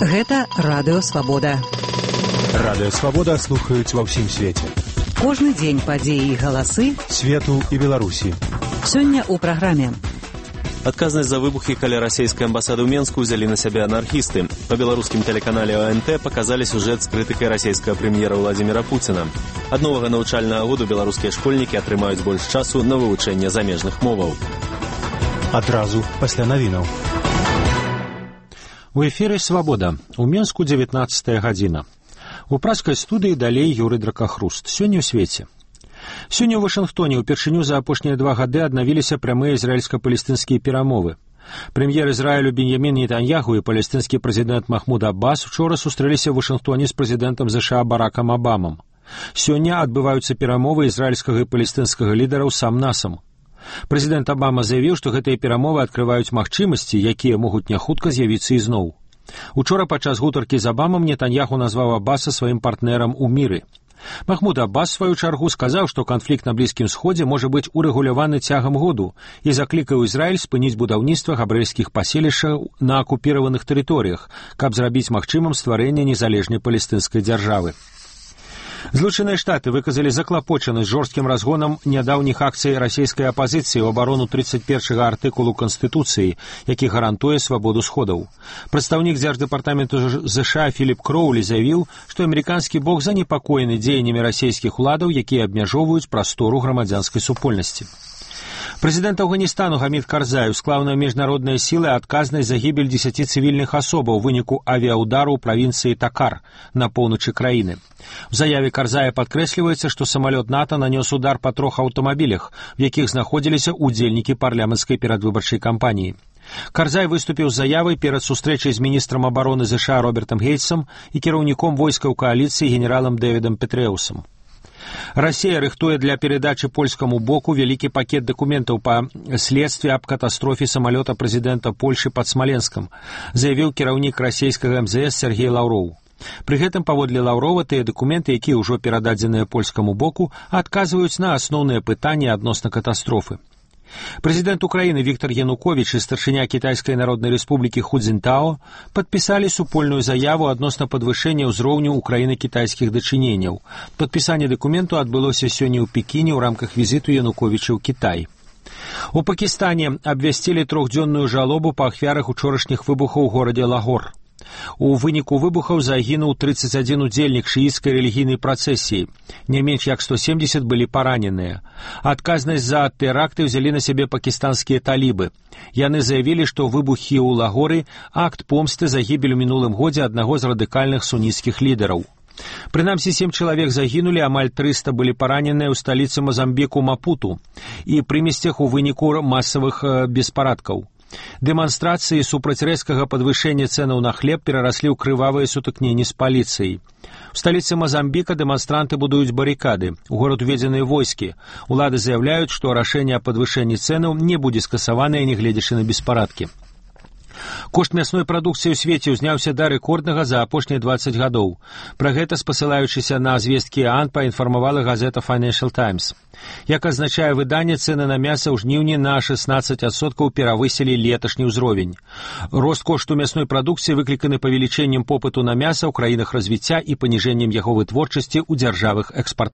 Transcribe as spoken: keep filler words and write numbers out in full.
Гэта Радыё Свабода. Радыё Свабода слухаюць ва ўсім свеце. Кожны дзень падзеі і галасы свету і Беларусі. Сёння ў праграме. Адказнасць за выбухі каля расійскай амбасады ў Менску ўзялі на сябе анархісты. Па беларускім тэлеканале О Н Т паказалі сюжэт з крытыкай расійскага прэм'ера Владзіміра Пуціна. Ад новага навучальнага году беларускія школьнікі атрымаюць больш часу на вывучэнне замежных моваў. Адразу пасля навінаў. У эфіры «Свабода». У Менску дзевятнаццатая гадзіна. У праскай студыі далей Юрый Дракахруст. Сёння ў свеце. Сёння ў Вашынгтоне ўпершыню за апошнія два гады аднавіліся прямыя ізраільска-палестынскія перамовы. Прэм'ер Ізраілю Беньямін Нетаньяху і палестынскі прэзідэнт Махмуд Аббас учора сустрэліся ў Вашынгтоне з прэзідэнтам ЗША Баракам Абамам. Сёння адбываюцца перамовы ізраільскага і палестынскага лідараў сам-насам. Прэзідэнт Абама заявіў, што гэтыя перамовы адкрываюць магчымасці, якія могуць няхутка з'явіцца ізноў. Учора падчас гутаркі з Абамам Нетаньяху назваў Аббаса сваім партнерам у міры. Махмуд Аббас, сваю чаргу, сказаў, што канфлікт на Блізкім Сходзе можа быць урэгуляваны цягам году і заклікаў Ізраіль спыніць будаўніцтва габрэйскіх паселішчаў на акупіраваных тэрыторыях, каб зрабіць магчымым стварэнне незалежнай палестынскай дзяржавы. Злучаныя Штаты выказалі заклапочанасць жорсткім разгонам нядаўніх акцый расійскай апазіцыі ў абарону тридцать першага артыкулу Канстытуцыі, які гарантуе свабоду сходаў. Прадстаўнік дзярждэпартаменту ЗША Філіп Кроулі заявіў, што амерыканскі бок занепакоены дзеяннямі расійскіх уладаў, якія абмяжоўваюць прастору грамадзянскай супольнасці. Прэзідэнт Афганістану Гамід Карзай склаў на міжнародныя сілы адказнасць за гібель дзесяці цывільных асобаў у выніку авіяудару ў правінцыі Такар на поўначы краіны. У заяве Карзая падкрэсліваецца, што самалёт НАТО нанёс удар па трох аўтамабілях, у якіх знаходзіліся ўдзельнікі парламенцкай перадвыбарчай кампаніі. Карзай выступіў з заявай перад сустрэчай з міністрам абароны ЗША Робертам Гейтсам і кіраўніком войскаў кааліцыі генералам Дэвідам Петрэусам. Расія рыхтуе для перадачы польскаму боку вялікі пакет дакументаў па следстве аб катастрофе самалёта прэзідэнта Польшы пад Смаленскам, заявіў кіраўнік расійскага эм зэ эс Сергей Лаўроў. Пры гэтым, паводле Лаўрова, тыя дакументы, якія ўжо перададзеныя польскаму боку, адказваюць на асноўныя пытанні адносна катастрофы. Прэзідэнт Украіны Віктор Януковіч і старшыня Кітайскай народнай рэспублікі Ху Цзінтао падпісалі супольную заяву адносна падвышэння ўзроўню Украіны-кітайскіх дачыненняў. Падпісанне дакументу адбылося сёння ў Пекіне ў рамках візіту Януковіча ў Кітай. У Пакістане абвясцілі трохдзённую жалобу па ахвярах учорашніх выбухаў у горадзе Лагор. У выніку выбухаў загінуў тридцать один удзельнік шыіцкай рэлігійнай працэсіі. Не менш як сто семьдесят былі параненыя. Адказнасць за тэракты ўзялі на сябе пакістанскія талібы. Яны заявілі, што выбухі ў Лагоры – акт помсты за гібель у мінулым годзе аднаго з радыкальных суніцкіх лідараў. Прынамсі, сем чалавек загінулі, амаль трыста былі параненыя ў сталіцы Мазамбіку Мапуту і пры месцах у выніку масавых беспарадкаў. Дэманстрацыі супраць рэзкага падвышэння цэнаў на хлеб перараслі ў крывавыя сутыкненні з паліцыяй. У сталіцы Мазамбіка дэманстранты будуюць барыкады. У горад уведзеныя войскі. Улады заяўляюць, што рашэнне аб падвышэнні цэнаў не будзе скасаванае, нягледзячы на беспарадкі. Кошт мясной прадукцыі ў свеце ўзняўся да рэкорднага за апошнія двадцать гадоў. Пра гэта, спасылаючыся на звесткі ААН, паінфармавала газета Financial Times. Як азначае выданне, цэны на мяса ў жніўні на шестнадцать адсоткаў перавысілі леташні ўзровень. Рост кошту мясной прадукцыі выкліканы павелічэннем попыту на мяса ў краінах развіцця і паніжэннем яго вытворчасці ў дзяржавах экспарт